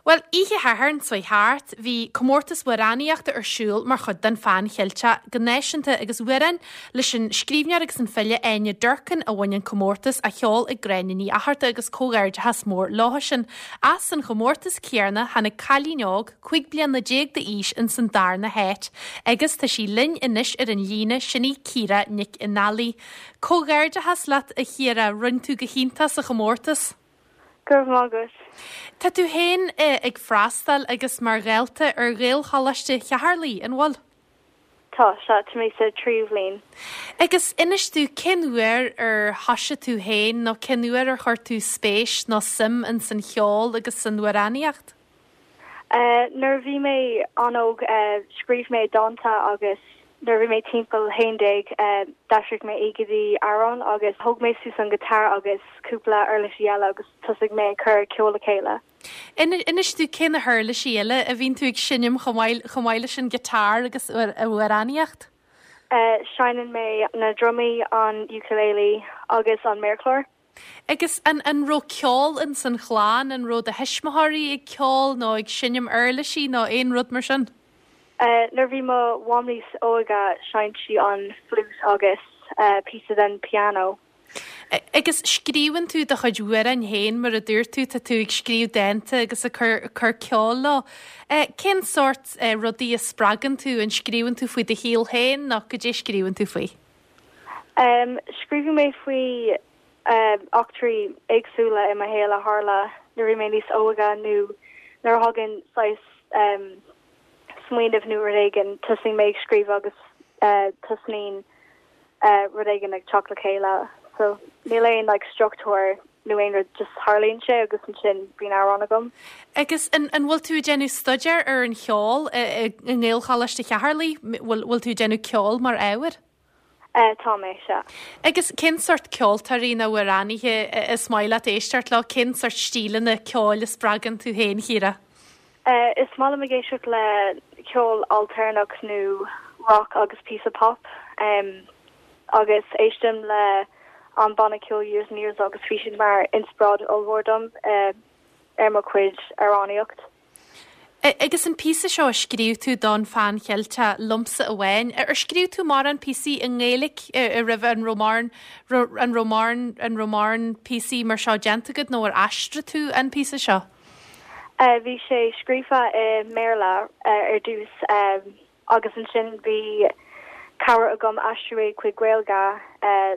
Bhuel, oíche Shathairn seo thart, bhí comórtas amhránaíochta ar siúl mar chuid den Phan Cheilteach go náisiúnta agus amhrán leis an scríbhneoir agus an file Áine Durkin a bhain an comórtas, á cheol ag Gráinne Ní Fhatharta agus comhghairdeachas mór leo sin. As an chomórtas céanna tháinig cailín óg, 15 bliana d'aois ins an darna háit agus tá sí linn anois ar an líne, sin í Ciara Nic an Fhailigh. Comhghairdeachas leat a Chiara, rinne tú go hiontach sa chomórtas. Go raibh maith agat. Tá tú féin ag freastal agus mar dhalta ar Ghaelcholáiste Cheatharlach, an bhfuil? Tá, sea, tá mé sa tríú bhliain. Agus inis domh, cén uair ar thoisigh tú féin nó cén uair ar chuir tú spéis nó suim ins an cheol agus san amhránaíocht? Nuair a bhí mé an-óg, scríobh mé dánta agus nuair a bhí mé timpeall 11, d'aistrigh mé é go dtí amhrán agus thóg mé suas an guitar agus cúpla uirlisí eile agus thosaigh mé ag cur ceol le chéile. Inis domh cé na huirlisí eile a bhíonn tú ag seinm chomh maith, chomh maith leis an guitar agus an amhránaíocht? Seinneann mé na drumaí, an ukulele agus an méarchlár. Agus an an raibh ceol ins an chlann, an raibh do thuismitheoirí ag ceol nó ag seinm uirlisí nó aon rud mar sin? Nuair a bhí mo mham níos óige sheinn sí an fliút agus píosa den pianó. Agus scríobhann tú do chuid amhráin féin mar a dúirt tú, tá tú ag scríobh dánta agus ag cur cur ceoil leo. Cén sórt rudaí a spreagann tú, an scríobhann tú faoi do shaol féin nó goidé a scríobhann tú faoi? Scríobhann mé faoi eachtraí éagsúla i mo shaol a tharla nuair a bhí mé níos óige nó nuair a thagann saghas smaoineamh nó rud éigin, tosaíonn mé ag scríobh agus tosnaíonn rud éigin ag teacht le chéile. So níl aon like struchtúr nó aon rud, just tarlaíonn sé agus ansin bíonn amhrán agam. Agus an an bhfuil tú ag déanamh staidéar ar an cheol i nGaelcholáiste Cheatharlach? Bhfuil bhfuil tú ag déanamh ceol mar ábhar? Tá mé, sea. Agus cén sórt ceoltóirí nó amhránaithe is maith leat éisteacht leo? Cén sórt stíleanna ceoil a spreagann tú féin, Chiara? Is maith liom ag éisteacht le ceol ailtéarnach nó rock agus píosa pop. Agus éistim le an banna ceoil Years and Years agus bhí siad mar inspioráid ollmhór dom ar mo chuid amhránaíocht. Agus an píosa seo a scríobh tú don Phan Cheilteach, Liomsa Amháin, ar scríobh tú mórán píosaí i nGaeilge roimhe, an raibh mórán, an raibh mórán, an raibh mórán píosaí mar seo déanta agat nó ar aistrigh tú an píosa seo? Bhí sé scríofa i mBéarla ar dtús Agus ansin bhí cabhair agam aistriú é chuig Gaeilge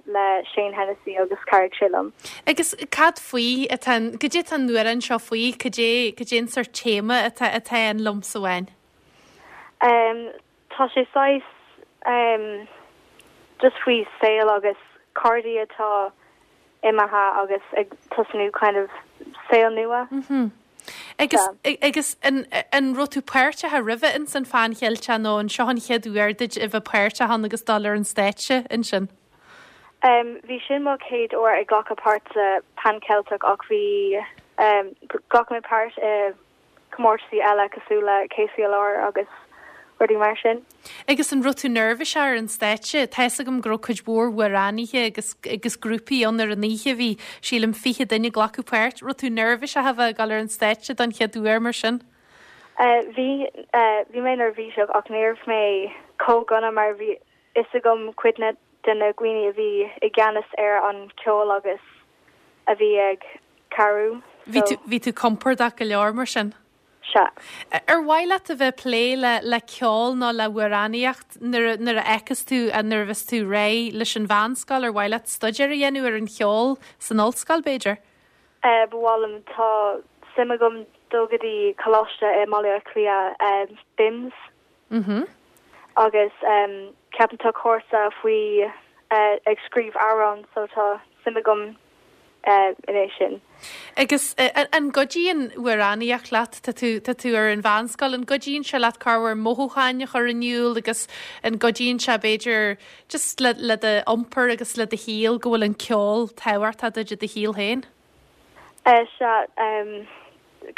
le Shane Hennessy agus chabhraigh sé liom. Agus cad faoi atá an, goidé atá an amhrán seo faoi, cad é, cad é an sórt téama atá, atá in Liomsa Amháin? Tá sé saghas just faoi saol agus cairde atá imithe agus ag tosnú kind of saol nua. Agus, agus an, an raibh tú páirteach roimhe ins an Phan Cheilteach nó an seo an chéad uair duit a bheith páirteach ann agus dul ar an stáitse ansin? Bhí sin mo chéad uair ag glacadh páirt sa Pan Ceilteach ach bhí, ghlac mé páirt i comórtaisí eile cosúil le KCLR agus rudaí mar sin. Agus an raibh tú neirbhíseach ar an stáitse? Tá fhios agam go raibh cuid mhór amhránaithe agus agus grúpaí ann ar an oíche, bhí sílim 20 duine ag glacadh páirt. Raibh tú neirbhíseach a bheith ag dul ar an stáitse don chéad uair mar sin? Bhí, bhí mé neirbhíseach ach ní raibh mé chomh dona mar bhí fhios agam cuid de na dhaoine a bhí i gceannas ar an ceol agus a bhí ag cabhrú so. Bhí tú compordach go leor mar sin? Sea. Ar mhaith leat a bheith ag plé le le ceol nó le hamhránaíocht nuair a nuair a fheiceas tú nuair a bheas tú réidh leis an mheánscoil ar mhaith leat staidéar a dhéanamh ar an cheol san ollscoil b'fhéidir? Ba mhaith liom. Tá suim agam dul go dtí coláiste i mBaile Átha Cliath, BIMS. Agus ceapaim tá cúrsa faoi ag scríobh amhrán so tá suim agam in é sin. Agus an gcuidíonn amhránaíocht leat, tá tú, tá tú ar an mheánscoil, an gcuidíonn sé leat corruair mothúcháin a chur in iúl agus an gcuidíonn sé b'fhéidir just le, le do iompar agus le do shaol go bhfuil an ceol tábhachtach duit i do shaol féin? Sea,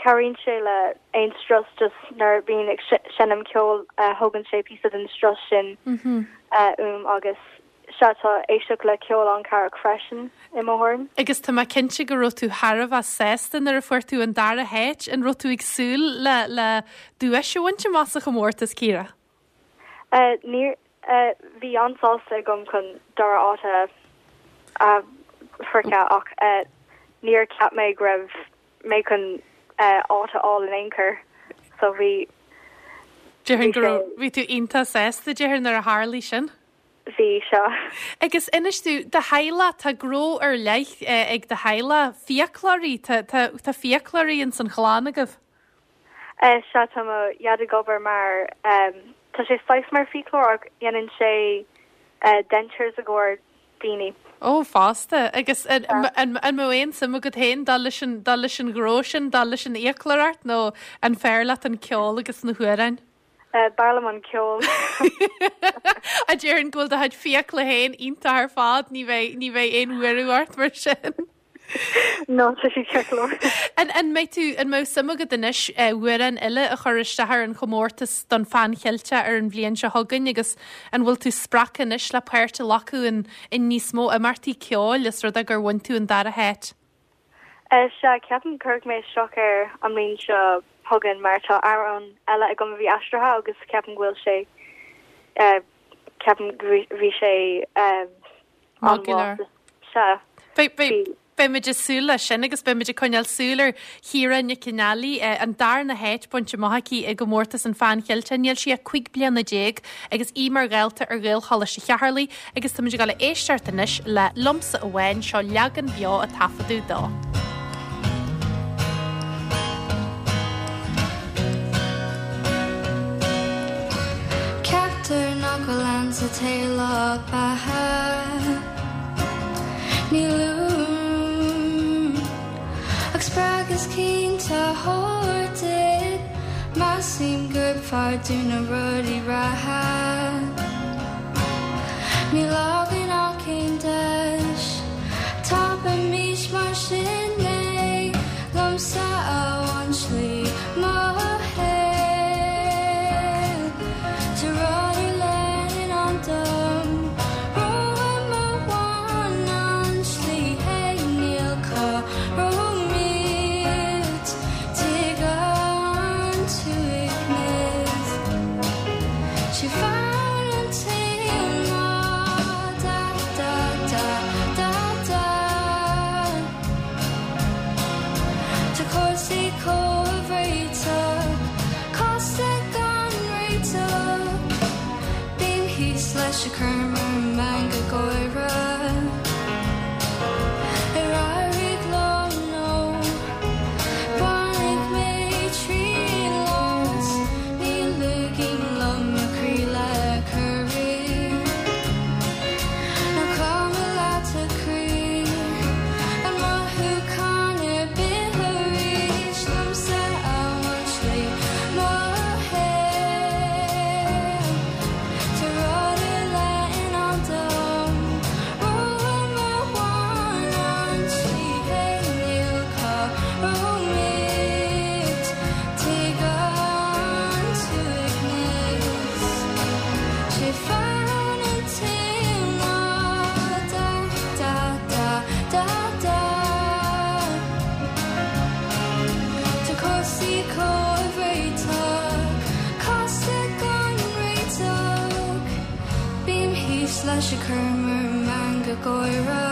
cabhraíonn sé le aon strus just nuair a bhíonn ag seinm ceoil thógann sé píosa den strus sin uaim agus. Sea, tá éisteacht le ceol an-chabhrach freisin, i mo thuairim. Agus tá mé cinnte go raibh tú thar a bheith sásta nuair a fuair tú an dara háit. An raibh tú ag súil le le duais a bhaint amach sa chomórtas, Ciara? Níor, bhí an-sásta agam chun dara áit a a shroicheadh ach níor cheap mé go raibh mé chun áit a fháil in aon chor so bhí, Déarfainn go raibh, bhí tú iontach sásta, déarfainn, nuair a tharlaigh sin. Bhí, sea. Agus inis domh, do theaghlach, tá gnó ar leith ag do theaghlach, fiaclóirí, tá, tá, tá fiaclóirí ins an chlann agaibh? Sea, tá mo dhaid ag obair mar, tá sé saghas mar fiaclóir ach dhéanann sé dentures i gcomhair daoine. Ó, fosta. Agus an mbeadh aon suim agat féin dul leis an, dul leis an ghnó sin, dul leis an fhiaclóireacht nó an fearr leat an ceol agus na hamhráin? B'fhearr liom an ceol. A déarfainn go bhfuil do chuid fiacla féin iontach ar fad, ní bheidh, ní bheidh aon bhuaireamh ort mar sin. No, tá siad ceart go leor. An, an mbeidh tú, an mbeadh suim agat anois amhrán eile a chur isteach ar an chomórtas don Phan Cheilteach ar an bhliain seo chugainn agus an bhfuil tú spreagtha anois le páirt a ghlacadh in, in níos mó imeachtaí ceoil os rud é gur bhain tú an dara háit? Sea, ceapaim cuirfidh mé isteach air an mbliain seo chugainn mar tá amhrán eile agam a bhí aistrithe agus ceapaim go bhfuil sé, ceapaim go bhí sé an-mhaith. Sea, bhí. Beidh muid ag súil leis sin agus beidh muid ag coinneáil súil ar Chiara Nic Fhionnghaile, an darna háit bainte amach aici i gcomórtas an Phan Cheiltigh. Níl sí ach 15 bliana agus í mar dhalta ar Ghaelcholáiste Cheatharlaigh agus táimid ag dul a éisteacht anois le Liomsa Amháin, seo leagan beo a taifeadadh dó. Ceaptar nach bhfuil ann sa tsaol ach beatha. Ní luaim ach spreagadh cinnte a thabhairt duit. Measaim gurb fearr dúinn na rudaí reatha. Níl againn ach aon deis. Tapaímis mar sin é. Liomsa amháin slí mo shaoil. Tá rud ar leith i ndán dom. Romham amháin an tslí féin níl cá raibh muid. Tig an t-uaigneas. Sé fonn an tsaoil ná da da da da da. Tá cúrsaí comhréiteach, casta gan réiteach. Bím thíos leis ag cur mar meangadh gáire. Ar éirigh liom nó bainfidh mé triail as, ní ligim liom mo chroí le corraí. Nach cuma leat a chroí, an mothúchán ar bith arís liomsa amháin slí mo shaol. Tá rud ar leith i ndán dom, romham amháin an tslí féin níl cá raibh muid. Tig an t-uaigneas, sé fonn an tsaoil ná da da da da da. Tá cúrsaí comhréiteach, casta gan réiteach. Bím thíos leis ag cur mar meangadh gáire.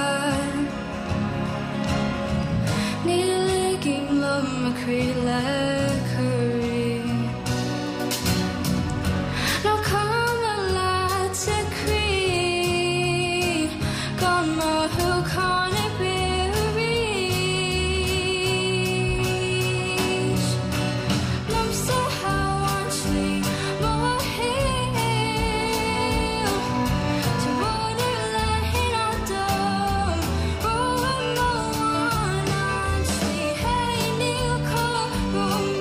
Ní ligim liom mo chroí le corraí. Nach cuma leat a chroí gan mothúchán ar bith arís. Liomsa amháin slí mo shaoil. Tá rud ar leith i ndán dom, romham amháin an tslí féin níl cá raibh.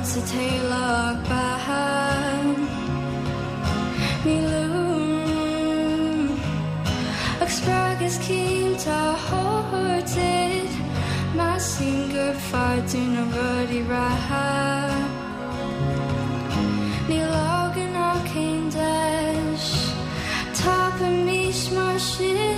sa teaghlach beatha. Ní lú ach spreagadh is cinnte a thabhairt duit, measaim gurb fearr dúinn na rudaí reatha. Níl againn ach aon deis, tapaímis mar sin.